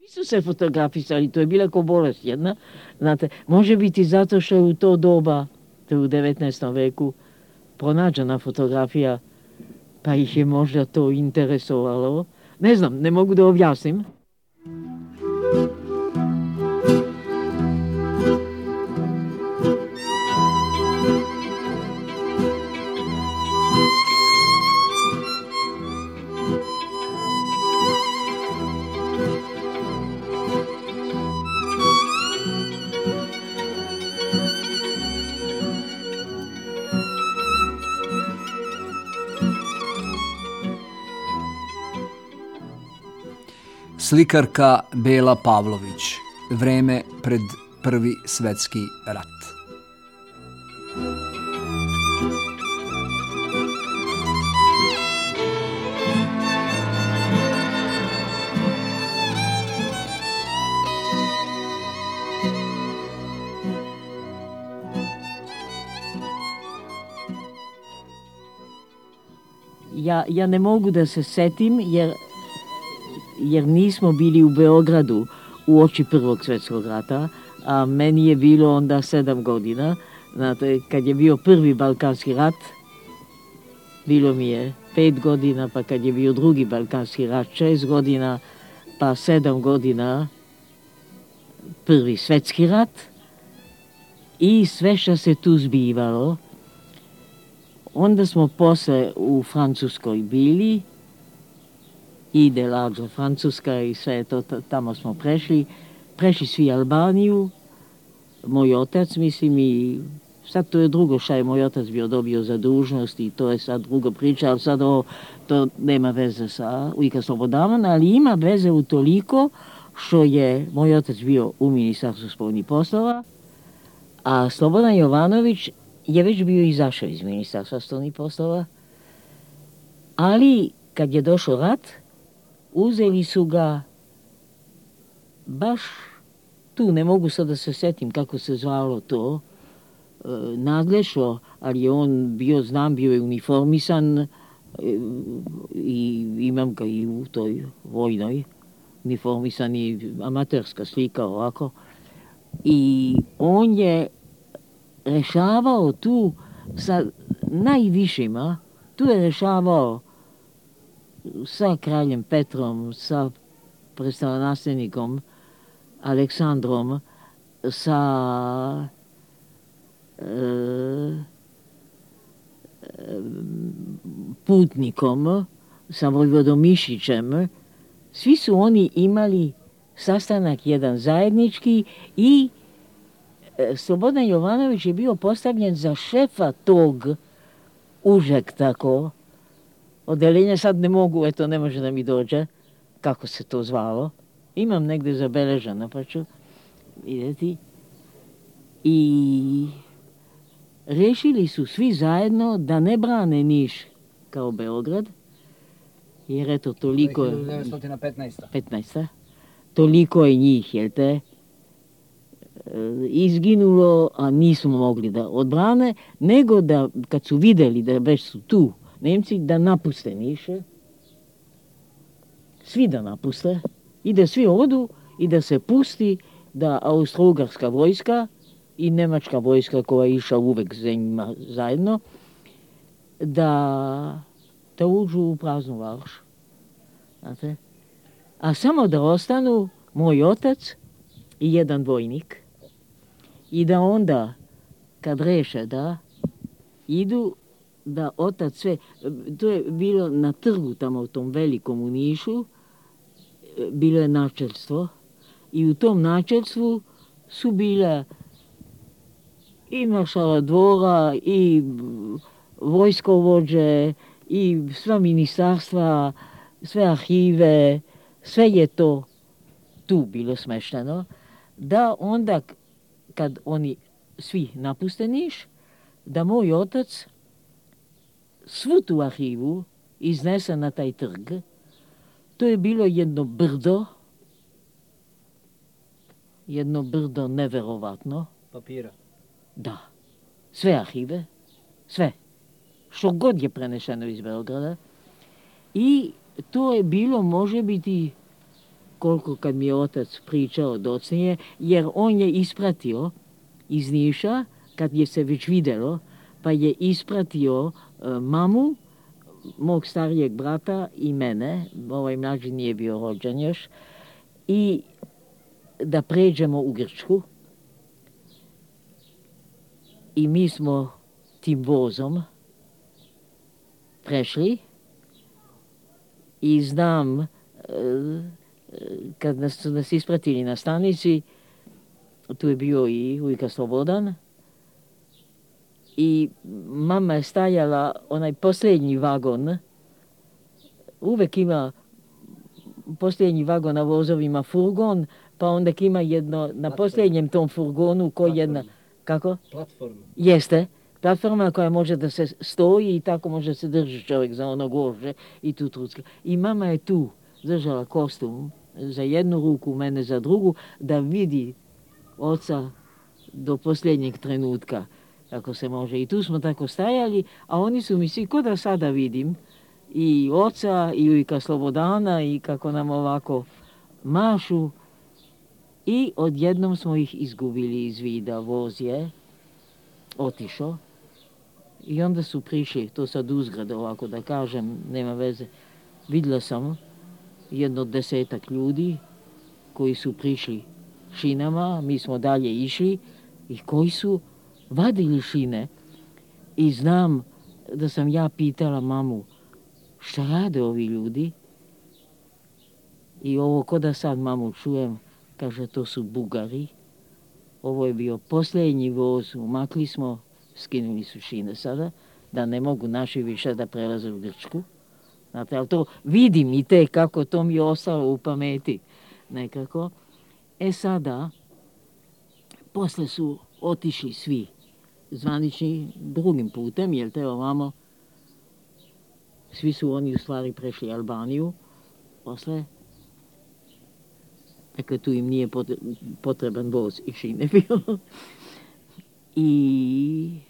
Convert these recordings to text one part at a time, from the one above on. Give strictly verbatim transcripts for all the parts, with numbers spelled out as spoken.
Nisu se fotografisali, to je bila ko bolest jedna. Znate, može biti zato što je u to doba, to je u devetnaestom veku, pronađena fotografija, pa ih je možda to interesovalo. Ne znam, ne mogu da objasnim. Slikarka Bela Pavlović. Vreme pred Prvi svetski rat. Ja, ja ne mogu da se setim jer jer nismo bili u Beogradu u oči Prvog svjetskog rata, a meni je bilo onda sedam godina. Znate, kad je bio prvi Balkanski rat, bilo mi je pet godina, pa kad je bio drugi Balkanski rat, šest godina, pa sedam godina Prvi svjetski rat i sve što se tu zbivalo. Onda smo posle u Francuskoj bili, i Delađo, Francuska i sve to, tamo smo prešli. Prešli svi Albaniju, moj otac, mislim, i sad to je drugo šta je moj otac bio dobio za dužnost i to je sad drugo priča, ali sad ovo, to nema veze sa Ujka Slobodaman, ali ima veze u toliko što je moj otac bio u Ministarstvu spoljnih poslova, a Slobodan Jovanović je već bio izašao iz Ministarstva spoljnih poslova, ali kad je došao rat, uzeli su ga baš tu, ne mogu sad da se setim kako se zvalo to, e, nadlešlo, ali je on bio, znam, bio je uniformisan e, i imam ga i u toj vojnoj, uniformisan i amaterska slika ovako. I on je rešavao tu sa najvišima, tu je rešavao sa kraljem Petrom, sa prestolonaslednikom Aleksandrom, sa e, putnikom, sa vojvodom Mišićem. Svi su oni imali sastanak jedan zajednički i e, Slobodan Jovanović je bio postavljen za šefa tog užeg tako odeljenja. Sad ne mogu, eto, ne može da mi dođe kako se to zvalo. Imam negde zabeleženo, pa ću vidjeti. I rešili su svi zajedno da ne brane Niš kao Beograd, jer eto, toliko je... hiljadu devetsto petnaesta. petnaesta. Toliko je njih, jel te, izginulo, a nismo mogli da odbrane, nego da, kad su videli da već su tu Nemci, da napuste Niše, svi da napuste, i da svi odu i da se pusti da austro-ugarska vojska i nemačka vojska koja je išla uvek za njima zajedno, da, da uđu u praznu Varoš. Znate? A samo da ostanu moj otac i jedan vojnik i da onda, kad reše da idu, da otac sve, to je bilo na trgu tamo u tom velikom u Nišu, bilo je načelstvo i u tom načelstvu su bile i maršala dvora i vojskovođe i sva ministarstva, sve arhive, sve je to tu bilo smešteno, da onda kad oni svi napuste Niš, da moj otac svu tu arhivu iznese na taj trg. To je bilo jedno brdo, jedno brdo neverovatno. Papira. Da. Sve arhive, sve. Što god je prenešeno iz Beograda. I to je bilo, može biti, koliko kad mi je otac pričao docnije, jer on je ispratio iz Niša, kad je se već videlo, pa je ispratio uh, mamu, mog starijeg brata i mene, ovaj mlađi nije bio rođen još, i da pređemo u Grčku. I mi smo tim vozom prešli i znam, kad nas su nas ispratili na stanici, tu je bio i ujka Slobodan, i mama je stajala, onaj posljednji vagon, uvek ima posljednji vagon na vozovima furgon, pa onda ima jedno, na platforma. Posljednjem tom furgonu koji jedna... Kako? Platforma. Jeste. Platforma koja može da se stoji i tako može se drži čovjek za ono gože i tu trucka. I mama je tu držala kostum za jednu ruku, mene za drugu, da vidi oca do posljednjeg trenutka, kako se može. I tu smo tako stajali, a oni su mi svi, ko da sada vidim, i oca, i ujka Slobodana, i kako nam ovako mašu. I odjednom smo ih izgubili iz vida. Voz je otišao. I onda su prišli, to sad uzgrad ovako da kažem, nema veze. Vidjela sam jedno desetak ljudi koji su prišli šinama, mi smo dalje išli i koji su vadili šine. I znam da sam ja pitala mamu, šta rade ovi ljudi? I ovo ko da sad mamu čujem, kaže, to su Bugari. Ovo je bio posljednji voz, umakli smo, skinuli su šine sada, da ne mogu naši više da prelaze u Grčku. Znate, ali to vidim i te kako to mi je ostalo u pameti nekako. E sada, posle su otišli svi zvanični drugim putem, jer te ovamo, svi su oni u stvari prešli Albaniju, posle. Dakle, tu im nije potreban voz i šine bio. I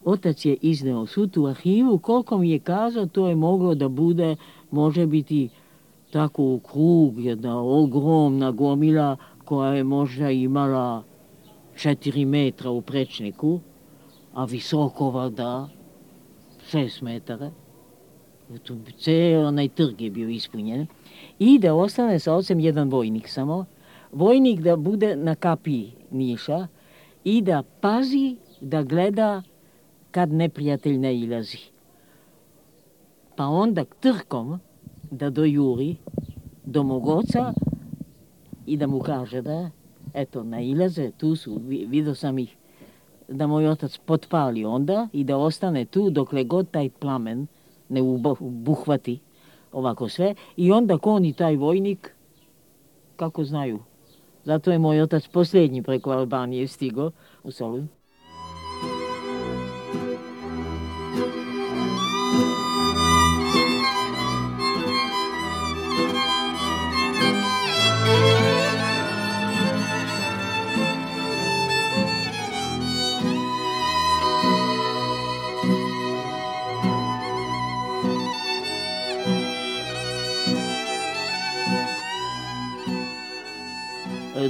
otac je izneo svu tu arhivu, koliko mi je kazao, to je moglo da bude, može biti tako u krug, jedna ogromna gomila koja je možda imala četiri metra u prečniku, a visoko valjda šest metara. Cijel onaj trg je bio ispunjen. I da ostane sa ocem jedan vojnik samo. Vojnik da bude na kapiji Niša i da pazi, da gleda kad neprijatelj ne ilazi. Pa onda trkom da dojuri do mog oca i da mu kaže da, eto, nailaze, tu su, vidio sam ih, da moj otac potpali onda i da ostane tu dokle god taj plamen ne ubuhvati ovako sve. I onda kon i taj vojnik, kako znaju. Zato je moj otac posljednji preko Albanije stigo u Solun.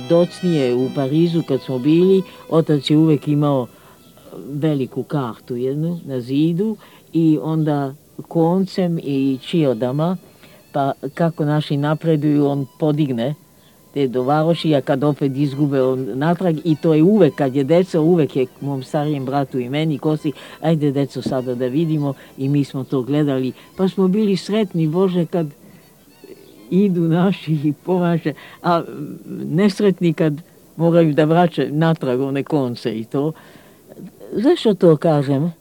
Docnije u Parizu kad smo bili, otac je uvek imao veliku kartu jednu na zidu i onda koncem i čiodama, pa kako naši napreduju, on podigne te do varoši, a kad opet izgube on natrag, i to je uvek, kad je deco, uvek je mom starijem bratu i meni kosi, ajde deco sada da vidimo, i mi smo to gledali, pa smo bili sretni, Bože, kad idu naši i pomaže, a nesretni kad moraju da vraćaju natrag one konce i to. Zašto to kažem?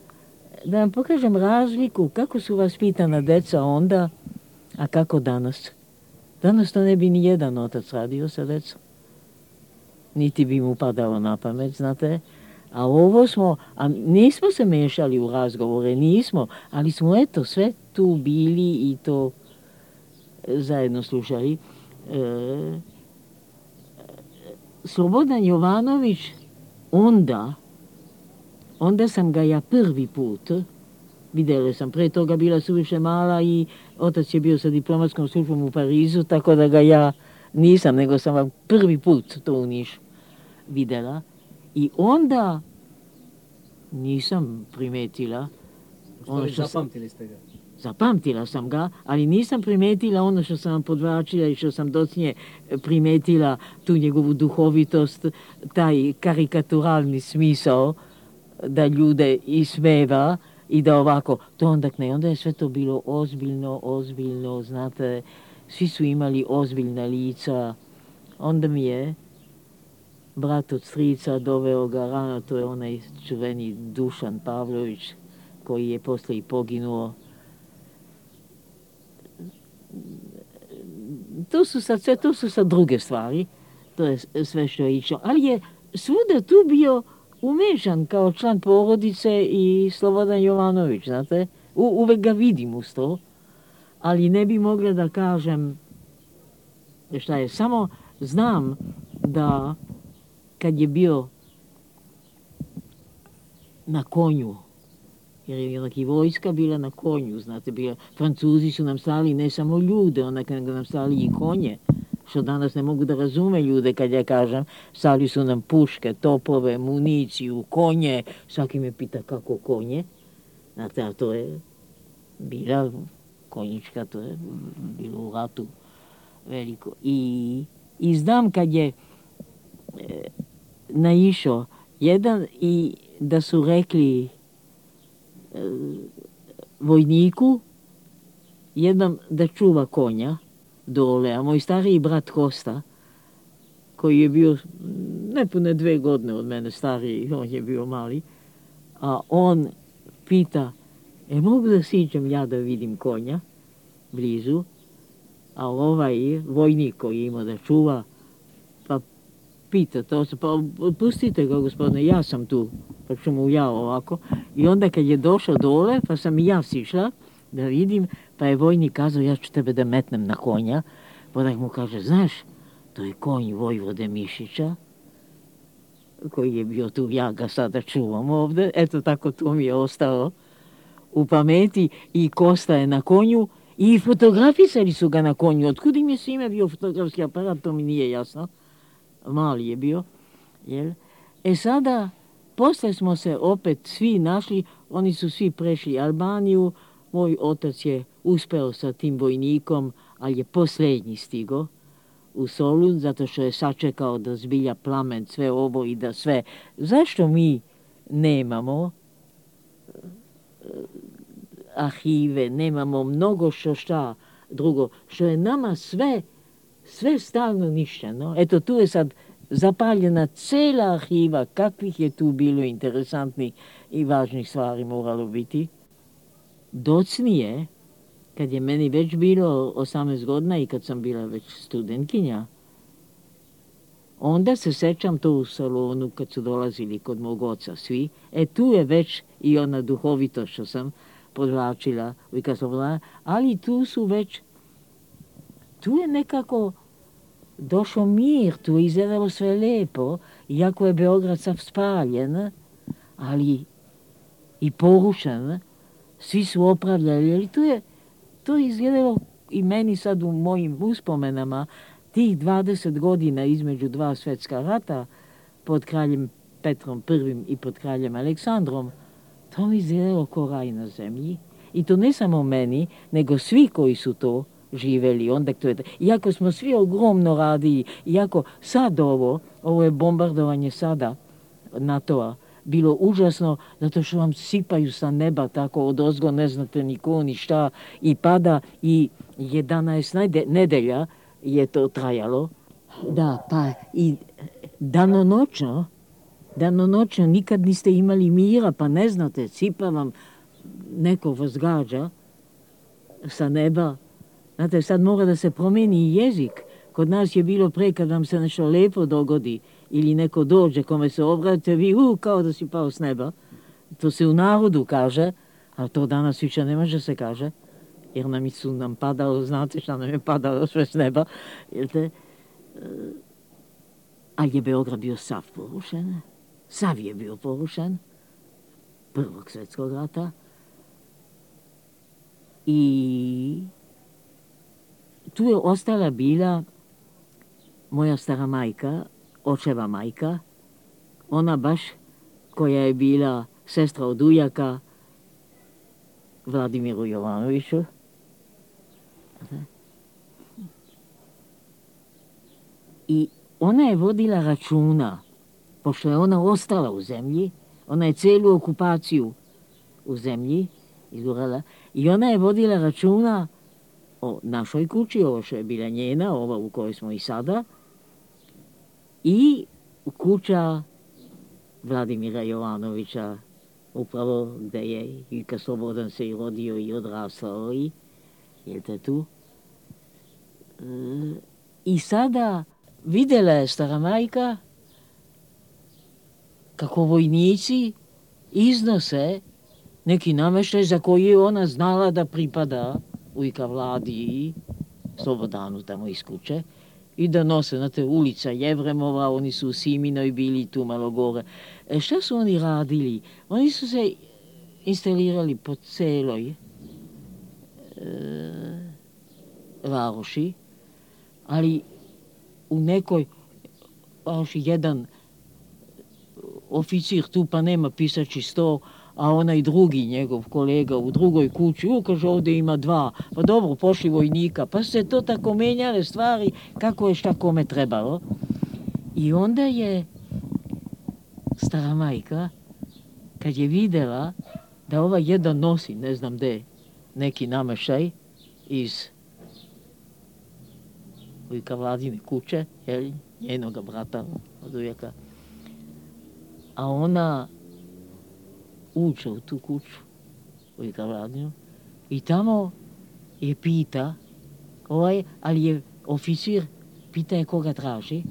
Da vam pokažem razliku kako su vaspitana deca onda, a kako danas. Danas to ne bi ni jedan otac radio sa decom. Niti bi mu padalo na pamet, znate. A ovo smo, a nismo se mešali u razgovore, nismo, ali smo eto sve tu bili i to zajedno slušali. E, Slobodan Jovanović, onda, onda sam ga ja prvi put Vidjela sam, pre toga bila suviše mala i otac je bio sa diplomatskom službom u Parizu, tako da ga ja nisam, nego sam vam prvi put to u Nišu vidjela. I onda nisam primetila ono što zapamtili ste ga? Zapamtila sam ga, ali nisam primetila ono što sam vam podvlačila i što sam docnije primetila, tu njegovu duhovitost, taj karikaturalni smisao da ljude ismeva i da ovako, to onda ne, onda je sve to bilo ozbiljno, ozbiljno, znate, svi su imali ozbiljna lica. Onda mi je brat od strica doveo ga rano, to je onaj čuveni Dušan Pavlović, koji je posle i poginuo. To su sad sve, to su sad druge stvari, to je sve što je išlo, ali je svuda tu bio umešan kao član porodice i Slobodan Jovanović, znate, U, uvek ga vidim uz to, ali ne bi mogla da kažem šta je, samo znam da kad je bio na konju, jer je onak i vojska bila na konju, znate, bila, Francuzi su nam stali ne samo ljude, onak nego nam stali i konje, što danas ne mogu da razume ljude kad ja kažem, stali su nam puške, topove, municiju, konje, svaki me pita kako konje, znate, a to je bila konjička, to je bilo u ratu veliko. I, i znam kad je e, naišao jedan i da su rekli vojniku jednom da čuva konja dole, a moj stariji brat Kosta, koji je bio nepune dve godine od mene stariji, on je bio mali, a on pita, e mogu da siđem ja da vidim konja blizu, a ovaj vojnik koji je imao da čuva, pa pita to se, pa pustite ga gospodine, ja sam tu, pa ću mu ja ovako. I onda kad je došao dole, pa sam i ja sišla da vidim, pa je vojnik kazao, ja ću tebe da metnem na konja. Pa da mu kaže, znaš, to je konj Vojvode Mišića, koji je bio tu, ja ga sada čuvam ovde, eto tako to mi je ostalo u pameti. I Kosta je na konju i fotografisali su ga na konju. Otkud im je svime bio fotografski aparat, to mi nije jasno. Mali je bio, jel? E sada, posle smo se opet svi našli, oni su svi prešli Albaniju, moj otac je uspeo sa tim vojnikom, ali je posljednji stigo u Solun, zato što je sačekao da zbilja plamen sve ovo i da sve. Zašto mi nemamo arhive, nemamo mnogo što šta drugo, što je nama sve, sve stalno ništeno. Eto, tu je sad zapaljena cela arhiva, kakvih je tu bilo interesantnih i važnih stvari moralo biti. Docnije, kad je meni već bilo osamnaest godina i kad sam bila već studentkinja, onda se sećam to u salonu kad su dolazili kod mog oca svi. E tu je već i ona duhovitost što sam podvlačila, ali tu su već, tu je nekako došao mir, tu je izgledalo sve lepo, iako je Beograd sav spaljen, ali i porušen, svi su opravljali, ali tu je to izgledalo i meni sad u mojim uspomenama, tih dvadeset godina između dva svetska rata, pod kraljem Petrom prvim i pod kraljem Aleksandrom, to mi izgledalo ko raj na zemlji. I to ne samo meni, nego svi koji su to živeli. Onda to je, iako smo svi ogromno radili, iako sad ovo, ovo je bombardovanje sada NATO-a, bilo užasno, zato što vam sipaju sa neba tako od ozgo, ne znate niko ni šta, i pada i jedanaest nedelja je to trajalo. Da, pa i danonoćno, danonoćno nikad niste imali mira, pa ne znate, sipa vam, neko vas gađa sa neba. Znate, sad mora da se promeni jezik. Kod nas je bilo pre kad vam se nešto lepo dogodi ili neko dođe kome se obratite, vi u, kao da si pao s neba. To se u narodu kaže, a to danas više ne može se kaže, jer nam su nam padalo, znate šta nam je padalo sve s neba. Jelte? Ali je Beograd bio sav porušen. Sav je bio porušen. Prvog svetskog rata. I tu je ostala bila moja stara majka, očeva majka, ona baš koja je bila sestra od ujaka Vladimiru Jovanoviću. I ona je vodila računa, pošto je ona ostala u zemlji, ona je celu okupaciju u zemlji izgurala, i ona je vodila računa o našoj kući, ovo što je bila njena, ova u kojoj smo i sada, i kuća Vladimira Jovanovića, upravo gde je Ilka Slobodan se i rodio i odrastao i, jel te tu? E, I sada videla je stara majka kako vojnici iznose neki nameštaj za koji je ona znala da pripada ujka Vladi i Slobodanu tamo iz kuće, i da nose, znate, ulica Jevremova, oni su u Siminoj bili tu malo gore. E, šta su oni radili? Oni su se instalirali po celoj e, varoši, ali u nekoj varoši jedan oficir tu pa nema pisači sto, a onaj drugi njegov kolega u drugoj kući, u, kaže, ovdje ima dva, pa dobro, pošli vojnika, pa se to tako menjale stvari kako je šta kome trebalo. I onda je stara majka, kad je videla da ova jedan nosi, ne znam gde, neki namešaj iz ujka Vladine kuće, jel, njenoga brata od ujaka, a ona uče u tu kuću, ujka Vladinu, i tamo je pita, ovaj, ali je oficir, pita je koga traži,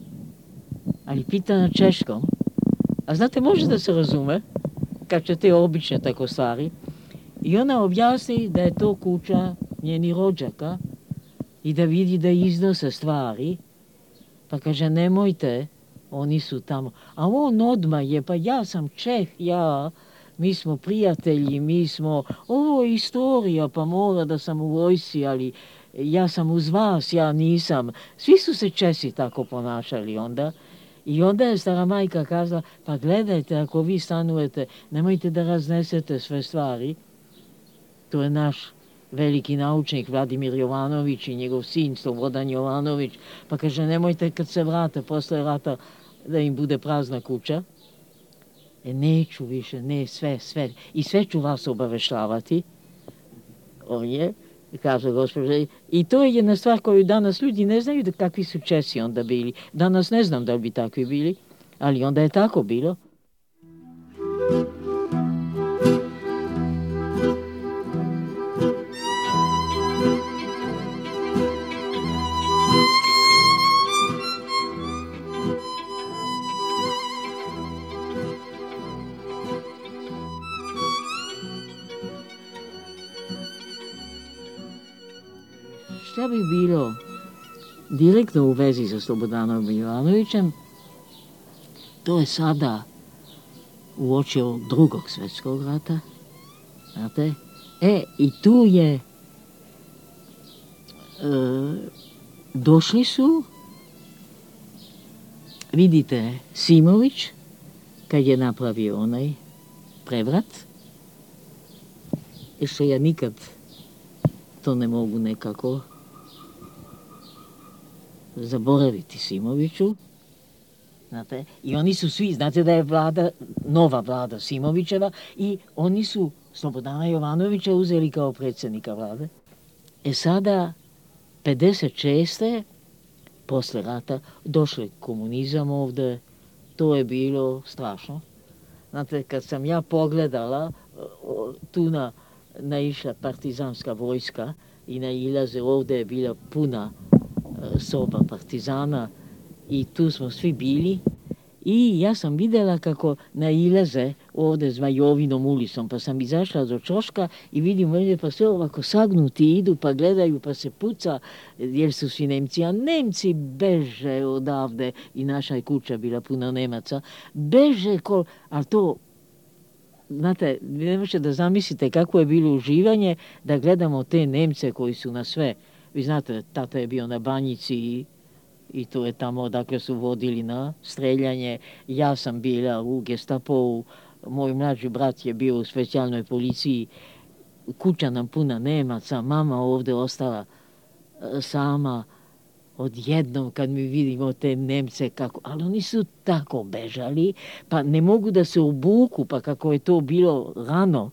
ali pita na češkom. A znate, može da se razume, kad će te obične tako stvari. I ona objasni da je to kuća njeni rođaka i da vidi da iznose stvari, pa kaže, nemojte, oni su tamo. A on odmah je, pa ja sam Čeh, ja, mi smo prijatelji, mi smo, ovo je istorija, pa mora da sam u vojsci, ali ja sam uz vas, ja nisam. Svi su se Česi tako ponašali onda. I onda je stara majka kazala, pa gledajte, ako vi stanujete, nemojte da raznesete sve stvari. To je naš veliki naučnik Vladimir Jovanović i njegov sin Slobodan Jovanović. Pa kaže, nemojte kad se vrate posle rata da im bude prazna kuća. E, neću više, ne, sve, sve. I sve ću vas obaveštavati. On je, kaže gospođa. I to je jedna stvar koju danas ljudi ne znaju da kakvi su Česi onda bili. Danas ne znam da li bi takvi bili, ali onda je tako bilo. Šta bi bilo direktno u vezi sa Slobodanom Jovanovićem, to je sada uoči drugog svjetskog rata, znate? E, i tu je, e, došli su, vidite, Simović, kad je napravio onaj prevrat, i što ja nikad to ne mogu nekako zaboraviti Simoviću, znate, i oni su svi, znate da je vlada, nova vlada Simovićeva, i oni su Slobodana Jovanovića uzeli kao predsjednika vlade. E sada, pedeset šeste posle rata, došli komunizam ovde, to je bilo strašno. Znate, kad sam ja pogledala, tu na, naišla partizanska vojska i nailaze, ovde je bila puna soba partizana i tu smo svi bili, i ja sam videla kako nailaze ovde Zmajovinom ulicom, pa sam izašla do ćoška i vidim ovdje pa sve ovako sagnuti idu, pa gledaju, pa se puca, jer su svi Nemci, a Nemci beže odavde, i naša je kuća bila puna Nemaca, beže, kol, ali to znate, vi ne možete da zamislite kako je bilo uživanje da gledamo te Nemce koji su na sve. Vi znate, tata je bio na Banjici i, i to je tamo odakle su vodili na streljanje. Ja sam bila u Gestapovu, moj mlađi brat je bio u specijalnoj policiji, kuća nam puna Nemaca, mama ovdje ostala sama. Odjednom kad mi vidimo te Nemce kako, ali oni su tako bežali, pa ne mogu da se obuku, pa kako je to bilo rano,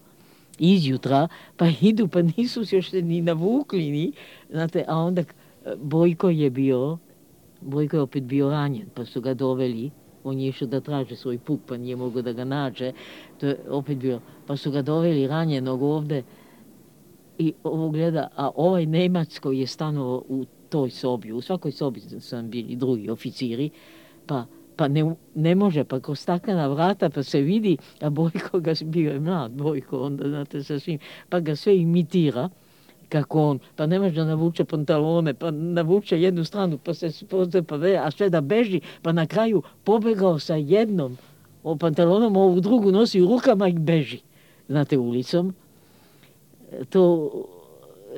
izjutra, pa idu, pa nisu se još ni navukli, ni, znate, a onda Bojko je bio, Bojko je opet bio ranjen, pa su ga doveli, on je išao da traže svoj puk, pa nije mogo da ga nađe, to je opet bio, pa su ga doveli ranjenog ovde i ovo gleda, a ovaj Nemac koji je stanovao u toj sobi, u svakoj sobi sam bili drugi oficiri, pa, pa ne, ne može, pa kroz staklena vrata, pa se vidi, a Bojko ga bio je mlad, Bojko, onda znate sa svim, pa ga sve imitira, kako on, pa ne može da navuče pantalone, pa navuče jednu stranu, pa se spoze, pa ve, a sve da beži, pa na kraju pobegao sa jednom o pantalonom, ovu drugu nosi u rukama i beži, znate, ulicom. To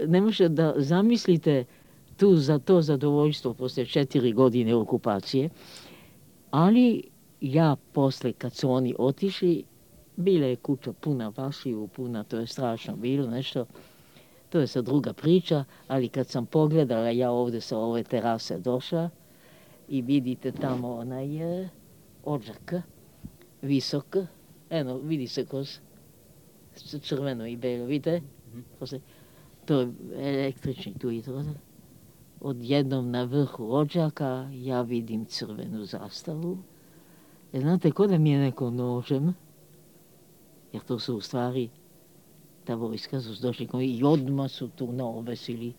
ne može da zamislite tu za to zadovoljstvo posle četiri godine okupacije, ali ja posle kad su oni otišli, bila je kuća puna vašiju, puna, to je strašno bilo nešto, to je sad druga priča, ali kad sam pogledala, ja ovdje sa ove terase došla i vidite tamo onaj odžak, visok, eno, vidi se kroz crveno i belo, vidite? To je električni tu i to. Odjednom na vrhu odžaka ja vidim crvenu zastavu. E, znate, ko da mi je neko nožem, jer to su u stvari ta vojska su došli i odmah su tu naobesili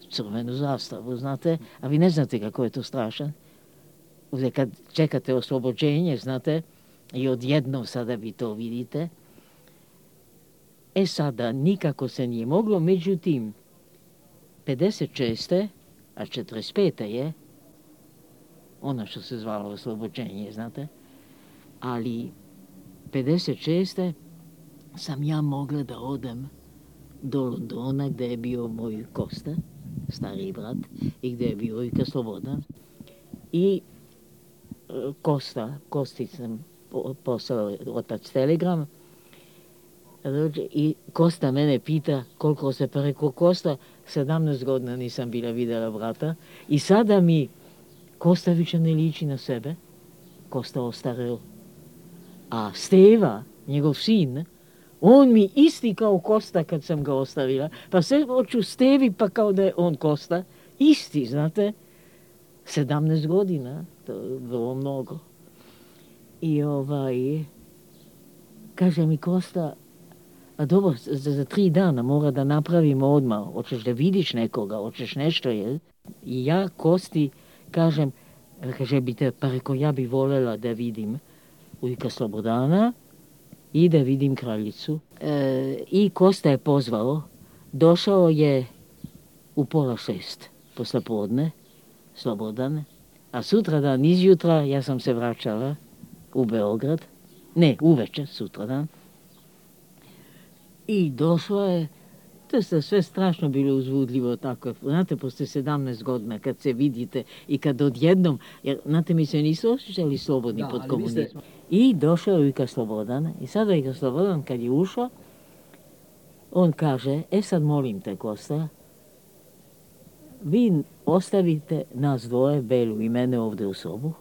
crvenu zastavu, znate, a vi ne znate kako je to strašan. Ovdje kad čekate oslobođenje, znate, i odjednom sada vi to vidite. E sada, nikako se nije moglo, međutim, pedeset šeste a četrdeset pete je ono što se zvalo oslobođenje, znate, ali pedeset šeste sam ja mogla da odem do Londona gdje je bio moj Kosta, stari brat, i gdje je bio i Slobodan. I Kosta, Kosti sam poslao otac telegram, i Kosta mene pita koliko se, pa rekao Kosta, sedamnaest godina nisam bila vidjela brata i sada mi Kosta više ne liči na sebe, Kosta ostareo. A Steva, njegov sin, on mi isti kao Kosta kad sam ga ostavila, pa sve hoću Stevi pa kao da je on Kosta, isti, znate, sedamnaest godina, to je vrlo mnogo. I ovaj, kaže mi Kosta, a dobro, za, za tri dana mora da napravimo odmah, hoćeš da vidiš nekoga, hoćeš nešto, jel? I ja Kosti kažem, kaže bi te, pa reko, ja bi voljela da vidim ujka Slobodana i da vidim kraljicu. E, I Kosta je pozvao, došao je u pola šest posle podne, Slobodan, a sutradan izjutra ja sam se vraćala u Beograd, ne, uveče, sutradan. I došlo je, to je sve strašno bilo uzbudljivo tako. Znate, posle sedamnaest godina kad se vidite i kad odjednom, jer znate mi se nisu osjećali slobodni da, pod komunizmom. Ste... I došao je Ujka Slobodan i sada Ujka Slobodan kad je ušao, on kaže, e sad molim te Kosta, vi ostavite nas dvoje, Belu i mene ovdje u sobu.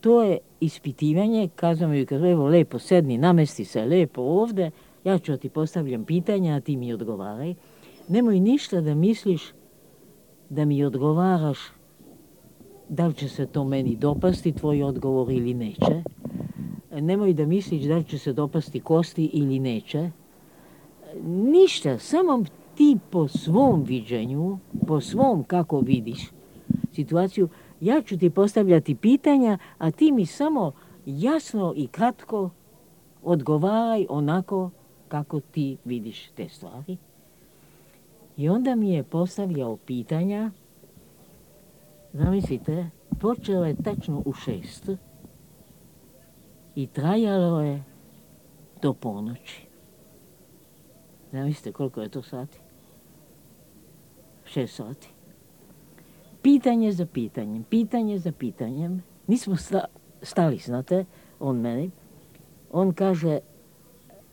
To je ispitivanje, kazao mi Ujka, evo lepo sedni, namesti se lepo ovdje, ja ću ti postavljam pitanja, a ti mi odgovaraj. Nemoj ništa da misliš da mi odgovaraš da li će se to meni dopasti, tvoj odgovor ili neće. Nemoj da misliš da li će se dopasti Kosti ili neće. Ništa, samo ti po svom viđenju, po svom kako vidiš situaciju, ja ću ti postavljati pitanja, a ti mi samo jasno i kratko odgovaraj onako kako ti vidiš te stvari. I onda mi je postavljao pitanja, zamislite, počelo je tačno u šest i trajalo je do ponoći. Zamislite koliko je to sati? Šest sati. Pitanje za pitanjem, pitanje za pitanjem. Nismo sta, stali, znate, on meni. On kaže,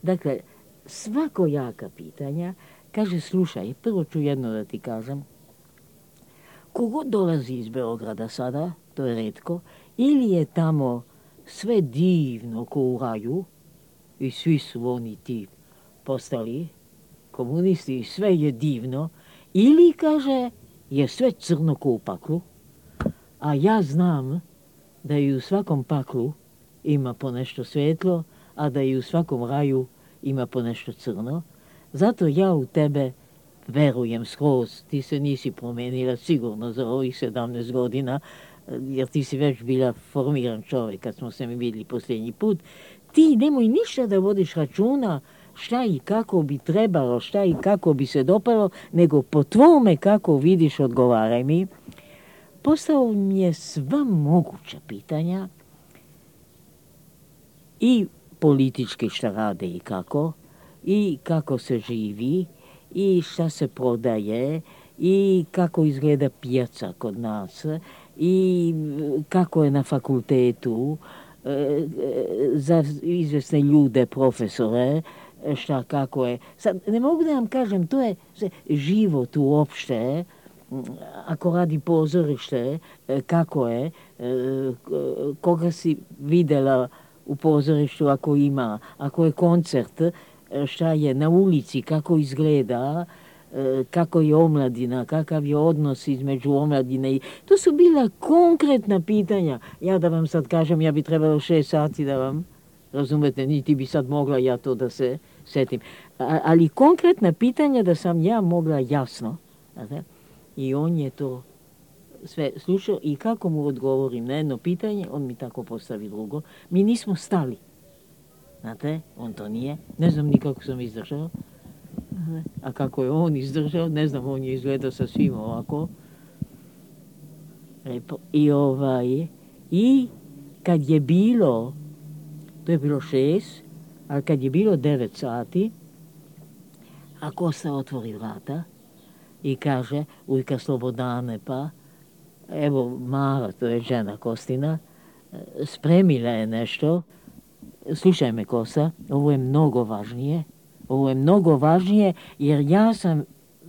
dakle, svakojaka pitanja, kaže, slušaj, prvo ću jedno da ti kažem. Kogod dolazi iz Beograda sada, to je retko, ili je tamo sve divno ko u raju, i svi su oni ti postali komunisti i sve je divno, ili, kaže, je sve crno ko u paklu, a ja znam da i u svakom paklu ima po nešto svetlo, a da i u svakom raju ima po nešto crno. Zato ja u tebe verujem skroz, ti se nisi promenila sigurno za ovih sedamnaest godina, jer ti si već bila formiran čovjek kad smo se mi vidjeli posljednji put. Ti nemoj ništa da vodiš računa šta i kako bi trebalo, šta i kako bi se dopalo, nego po tvome kako vidiš odgovaraj mi. Postao mi je sva moguća pitanja i politički šta rade i kako, i kako se živi, i šta se prodaje, i kako izgleda pijaca kod nas, i kako je na fakultetu, za izvjesne ljude, profesore, šta kako je. Sad, ne mogu da vam kažem, to je život uopšte, ako radi pozorište, kako je, koga si videla u pozorištu ako ima, ako je koncert, šta je na ulici, kako izgleda, kako je omladina, kakav je odnos između omladine. To su bila konkretna pitanja. Ja da vam sad kažem, ja bi trebalo šest sati da vam, razumete, niti bi sad mogla ja to da se setim. A, ali konkretna pitanja da sam ja mogla jasno. Znate? I on je to sve slušao i kako mu odgovorim na jedno pitanje, on mi tako postavi drugo. Mi nismo stali. Znate, on to nije. Ne znam ni kako sam izdržao. A kako je on izdržao, ne znam, on je izgledao sa svim ovako. I ovaj, i kad je bilo, to je bilo šest, ali kad je bilo devet sati, a Kosta otvori vrata i kaže, ujka Slobodane, pa, evo Mara, to je žena Kostina, spremila je nešto. Slušaj me, Kosta, ovo je mnogo važnije. Ovo je mnogo važnije, jer ja sam,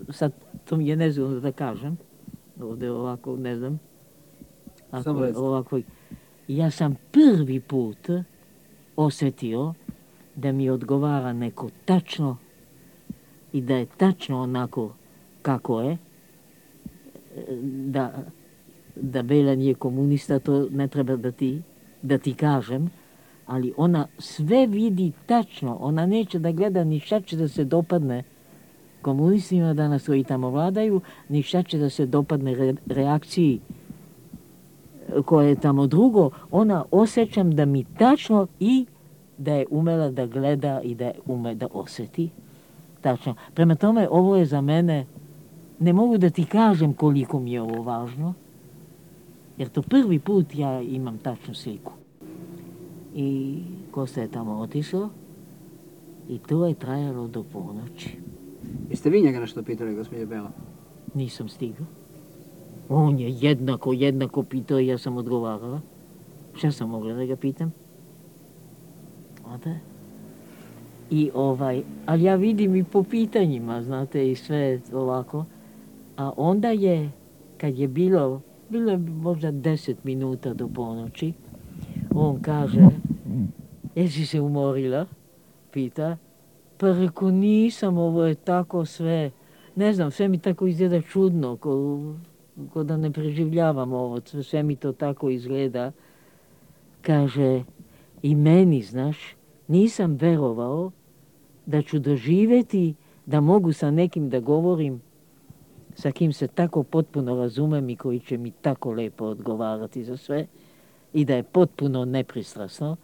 sad to mi je nezgodno da kažem, ovdje ovako, ne znam, ako, ovako, ja sam prvi put osjetio da mi odgovara neko tačno i da je tačno onako kako je, da, da Belan je komunista, to ne treba da ti, da ti kažem, ali ona sve vidi tačno, ona neće da gleda ni šta će da se dopadne komunistima danas koji tamo vladaju, ni šta će da se dopadne re, reakciji koje je tamo drugo, ona osjećam da mi tačno i da je umela da gleda i da je ume da osjeti. Tačno. Prema tome, ovo je za mene, ne mogu da ti kažem koliko mi je ovo važno, jer to prvi put ja imam tačnu sliku. I Kosta je tamo otišao i to je trajalo do ponoći. Jeste vi njega nešto pitali, gospođe Bela? Nisam stigao. On je jednako, jednako pitao i ja sam odgovarala. Šta sam mogla da ga pitam? Znate? I ovaj, ali ja vidim i po pitanjima, znate, i sve ovako. A onda je, kad je bilo, bilo je možda deset minuta do ponoći, on kaže, jesi se umorila? Pita. Pa reko, nisam, ovo je tako sve, ne znam, sve mi tako izgleda čudno, ko, ko da ne preživljavam ovo, sve mi to tako izgleda. Kaže, i meni, znaš, nisam verovao da ću doživjeti da mogu sa nekim da govorim, sa kim se tako potpuno razumem i koji će mi tako lepo odgovarati za sve i da je potpuno nepristrasno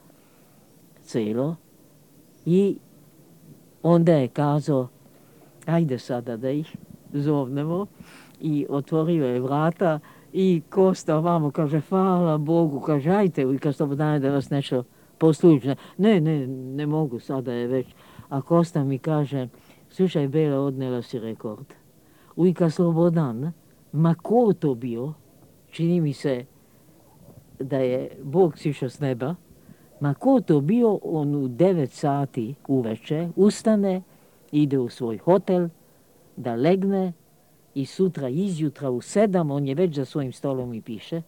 celo. I onda je kazao, ajde sada da ih zovnemo, i otvorio je vrata i Kosta ovamo kaže, hvala Bogu, kaže, ajte, ujka Slobodane, da vas nešto poslušna. Ne, ne, ne mogu, sada je već. A Kosta mi kaže, slušaj Bela, odnela si rekord. Ujka Slobodan, ma ko to bio, čini mi se da je Bog sišao s neba, ma ko to bio, on u devet sati uveče ustane, ide u svoj hotel, da legne i sutra izjutra u sedam, on je već za svojim stolom i piše,